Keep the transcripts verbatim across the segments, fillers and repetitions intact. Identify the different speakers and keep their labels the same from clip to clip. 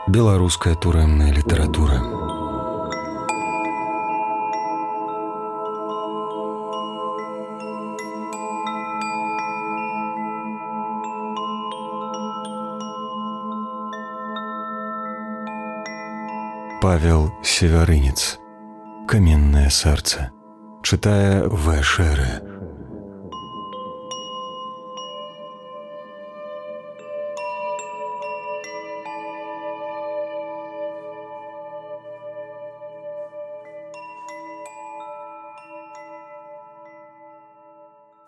Speaker 1: Беларуская турэмная літаратура. Павел Севярынец. Каменное сердце. Читая В. Шеры.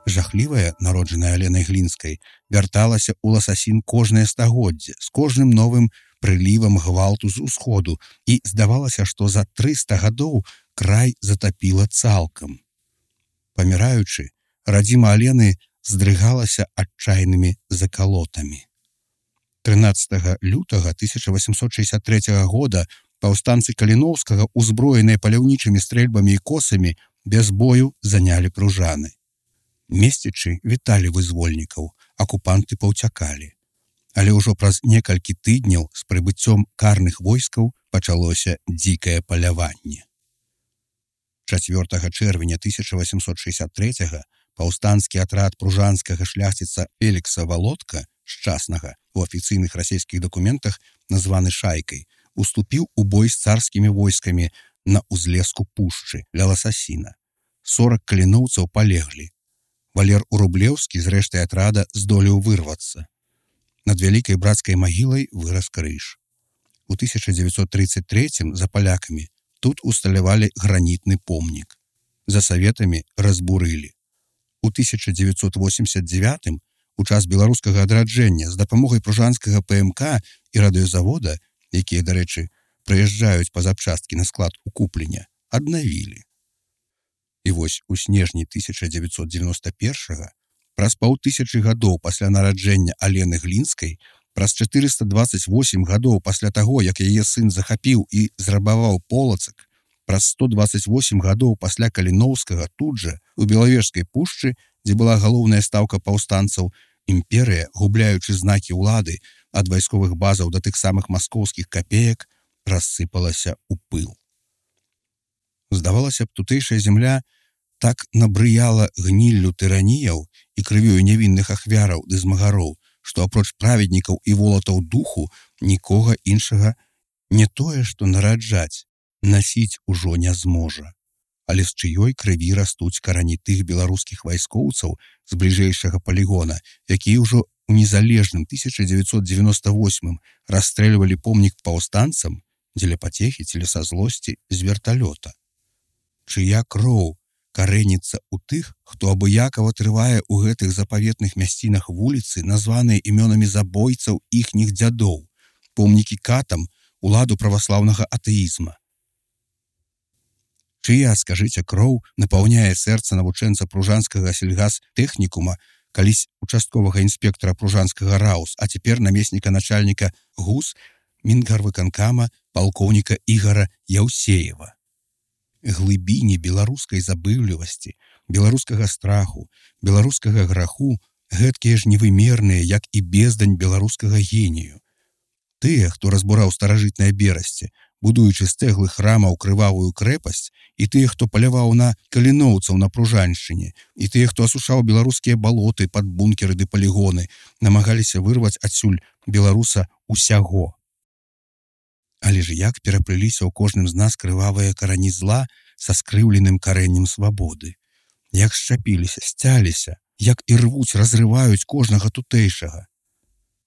Speaker 2: Жахлівая, народжаная Аленай Глінскай, вярталася ў Ласасін кожнае стагоддзе, з кожным новым прылівам гвалту з усходу, і здавалася, што за трыста гадоў край затапіла цалкам. Паміраючы, радзіма Алены здрыгалася адчайнымі закалотамі. трынаццатага лютага тысяча восемьсот шестьдесят третьего года паўстанцы Каліноўскага, узброеныя паляўнічымі стрэльбамі і косамі, без бою занялі Пружаны. Месцічы віталі вызвольнікаў, акупанты паўцякалі. Але ўжо праз некалькі тыдняў з прыбыццём карных войскаў пачалося дзікае паляванне. чацвёртага чэрвеня тысяча восемьсот шестьдесят третьего паўстанскі атрад пружанскага шляхціца Фелікса Володка, шчаснага, у афіцыйных расійскіх дакументах названы шайкай, уступіў у бой з царскімі войскамі на ўзлеску пушчы ля Ласасіна. сорок каліноўцаў палеглі. Валер Урублеўскі з рэштай атрада здолеў вырвацца. Над вялікай брацкай магілай вырас крыж. У тысяча дзевяцьсот тридцать третьем за палякамі тут усталявалі гранітны помнік. За саветамі разбурылі. У тысяча дзевяцьсот восемьдесят девятым у час беларускага адраджэння з дапамогай пружанскага ПМК і радыёзавода, якія, дарэчы, прыязджаюць па запчасткі на склад у Купленя, аднавілі. І вось у снежні тысяча дзевяцьсот девяносто первого, праз паўтысячы гадоў пасля нараджэння Алены Глінскай, праз чатырыста двадцать восемь гадоў пасля таго, як яе сын захапіў і зрабаваў Полацак, праз сто двадцать восемь гадоў пасля Каліноўскага тут жа, у Белавежскай пушчы, дзе была галоўная стаўка паўстанцаў, імперыя, губляючы знакі ўлады ад вайсковых базаў да тых самых маскоўскіх капеек, рассыпалася ў пыл. Здавалася б, тутэйшая зямля так набрыяла гніллю тыраніяў і крывёю нявінных ахвяраў ды змагароў, што апроч праведнікаў і волатаў духу нікога іншага не тое, што нараджаць, насіць ужо не зможа. Але з чыёй крыві растуць карані тых беларускіх вайскоўцаў з бліжэйшага палігона, якія ўжо ў незалежным тысяча дзевяцьсот девяносто восьмым расстрэльвалі помнік паўстанцам дзеля пацехі ці са злосці з верталёта. Чыя кроў карэніцца ў тых, хто абыякава трывае ў гэтых запаветных мясцінах вуліцы, названыя імёнамі забойцаў іхніх дзядоў, помнікі катам, уладу праваслаўнага атэізма. Чыя, скажыце, кроў напаўняе сэрца навучэнца пружанскага сельгастэхнікума, калісь участковага інспектара пружанскага РАУС, а цяпер намесніка начальніка ГУС Мінгарвыканкама палкоўніка Ігара Яўсеева. Глыбіні беларускай забыўлівасці, беларускага страху, беларускага граху гэткія ж невымерныя, як і бездань беларускага генію. Тыя, хто разбураў старажытнае берасце, будуючы з цэглы храмаў крывавую крэпасць, і тыя, хто паляваў на каліноўцаў на Пружаншчыне, і тыя, хто асушаў беларускія балоты пад бункеры ды палігоны, намагаліся вырваць адсюль беларуса усяго. Але ж як пераплыліся ў кожным з нас крывавыя карані зла са скрыўленым карэннем свабоды. Як шчапіліся, сцяліся, як і рвуць, разрываюць кожнага тутэйшага.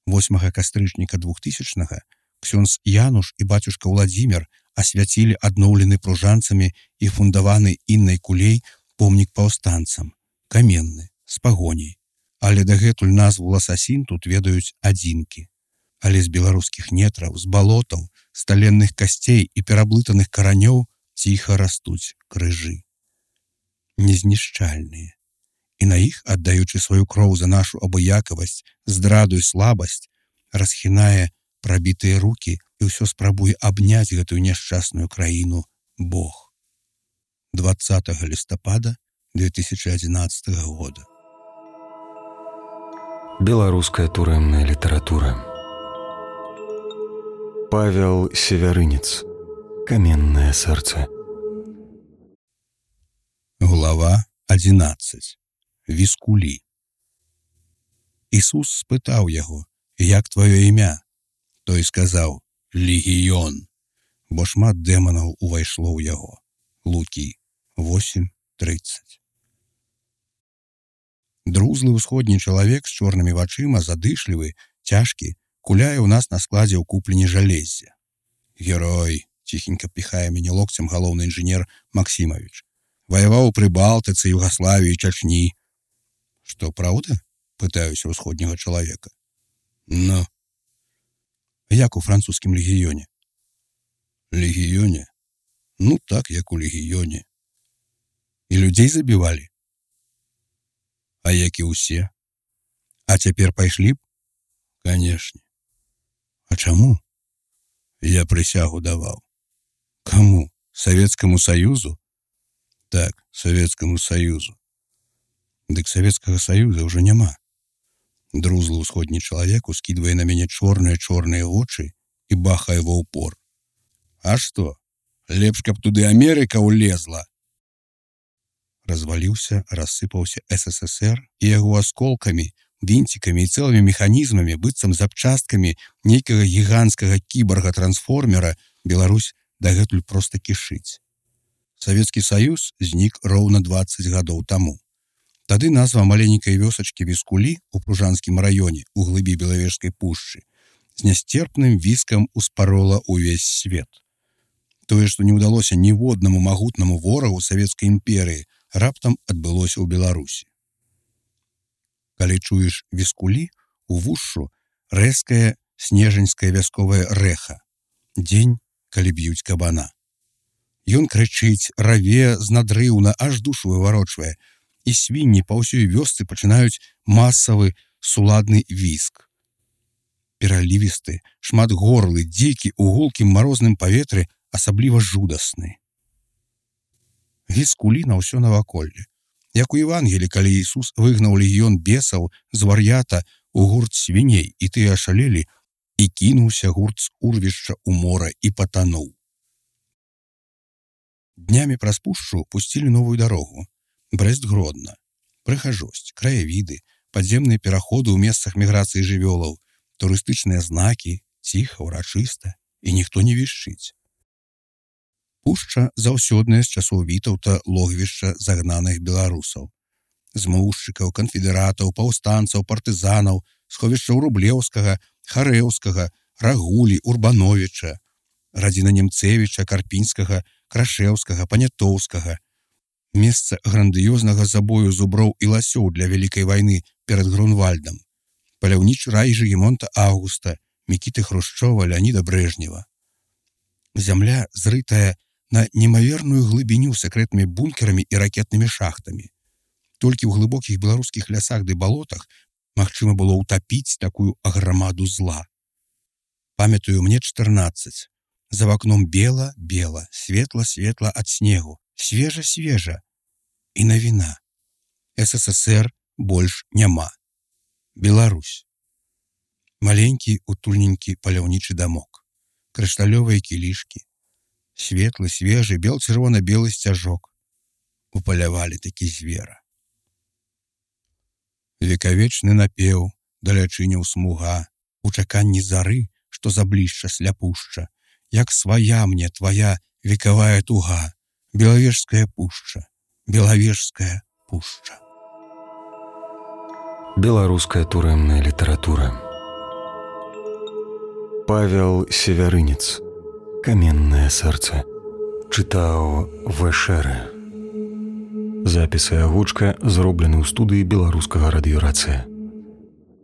Speaker 2: восьмага кастрычніка двухтысячнага ксёндз Януш і бацюшка Владзімир асвяцілі адноўлены пружанцамі і фундаваны іннай кулей помнік паўстанцам, каменны, з пагоняй. Але дагэтуль назву Ласасін тут ведаюць адзінкі. Але з беларускіх нетраў, з балотаў, з таленных касцей і пераблытаных каранёў ціха растуць крыжы. Незнішчальныя. І на іх, аддаючы сваю кроў за нашу абыякавасць, здраду і слабасць, расхінае прабітыя рукі і ўсё спрабуе абняць гэтую няшчасную краіну Бог. двадцатага лістапада две тысячи одиннадцатого года.
Speaker 1: Беларуская турэмная літаратура. Павел Севярынец. Каменное сердце.
Speaker 2: Глава одиннадцать. Віскулі. Ісус спытаў яго: «Як твоё імя?» Той сказаў: «Легіён», бо шмат дэманаў увайшло ў яго. Лукі восемь тридцать. Друзлы ўсходні чалавек з чорнымі вачыма, задышлівы, цяжкі, куляе ў нас на складзе ў купленні жалеззя. «Герой», ціхенька піхае мяне локцем галоўны інжынер Максімавіч. «Ваяваў у Прыбалтыцы, Югаславіі, Чачні». «Што, праўда?» — пытаюся ўсходняга чалавека. «Ну?» «Як у французскім легіёне?» «Легіёне? Ну так, як у легіёне». «І людзей забівалі?» «А як і ўсе?» «А цяпер пайшлі б?» «Канешне». «А чаму?» «Я прысягу даваў». «Каму? Савецкаму Саюзу?» «Так, Савецкаму Саюзу». «Дык Савецкага Саюза ўжо няма». Друзлы ўсходні чалавек ускідвае на мяне чорныя-чорныя вочы і бахае ва ўпор. «А што? Лепш, каб туды Амерыка ўлезла». Разваліўся, рассыпаўся эс эс эс эр і яго асколкамі, вінцікамі і цэлымі механізмамі, быццам запчасткамі нейкага гіганцкага кіборга-трансформера Беларусь дагэтуль проста кішыць. Савецкі Саюз знік роўна дваццаць гадоў таму. Тады назва маленькай вёсачкі Віскулі ў Пружанскім раёне у глыбі Белавежскай пушчы з нясцерпным віскам успарола ўвесь свет. Тое, што не ўдалося ніводнаму магутнаму ворагу Савецкай імперыі, раптам адбылося ў Беларусі. Калі чуеш Віскулі, у вушшу рэзкае снежаньскае вясковае рэха. Дзень, калі б'юць кабана. Ён крычыць, раве з надрыўна, аж душу выварочвае, і свінні па ўсёй вёсцы пачынаюць масавы суладны віск. Пералівісты, шматгорлы, дзікі ў гулкім марозным паветры, асабліва жудасны. Віскулі на ўсё наваколле. Як у Евангелі, калі Ісус выгнаў легіён бесаў з вар'ята ў гурт свіней, і тыя ашалелі, і кінуўся гурт з урвішча ў мора і патануў. Днямі праз пушчу пусцілі новую дарогу. Брэст-Гродна. Прыгажосць, краявіды, падземныя пераходы ў месцах міграцыі жывёлаў, турыстычныя знакі, ціха, урачыста, і ніхто не вішчыць. Пушча заўсёдная з часоў Вітаўта логвішча загнаных беларусаў. Змоўшчыкаў, канфедэратаў, паўстанцаў, партызанаў, сховішчаў Рублеўскага, Харэўскага, Рагулі, Урбановіча, радзіна Немцевіча, Карпінскага, Крашэўскага, Панятоўскага. Месца грандыёзнага забою зуброў і ласёў для вялікай вайны перад Грунвальдам. Паляўнічы рай Жыгімонта Аўгуста, Мікіты Хрушчова, Леаніда Брэжнева. Зямля зрытая на немаверную глыбіню сакрэтнымі бункерамі і ракетнымі шахтамі. Толькі ў глыбокіх беларускіх лясах ды балотах магчыма было ўтапіць такую аграмаду зла. Памятаю, мне чатырнаццаць. За вакном бела-бела, светла-светла ад снегу, свежа-свежа. І навіна. эс эс эс эр больш няма. Беларусь. Маленькі, утульненькі паляўнічы дамок. Крышталёвыя кілішкі. Светлы, свежы, бел-чырвона-белы сцяжок. Упалявалі такі звера. Векавечны напеў, далячыняў смуга, у чаканні зары, што заблішча сляпушча, як свая мне твая векавая туга, Белавежская пушча, Белавежская пушча.
Speaker 1: Беларуская турэмная літаратура. Павел Севярынец. Каменное сердце. Чытаў Вэшэрэ. Запіс і агучка зроблены ў студыі беларускага радыёрацыя.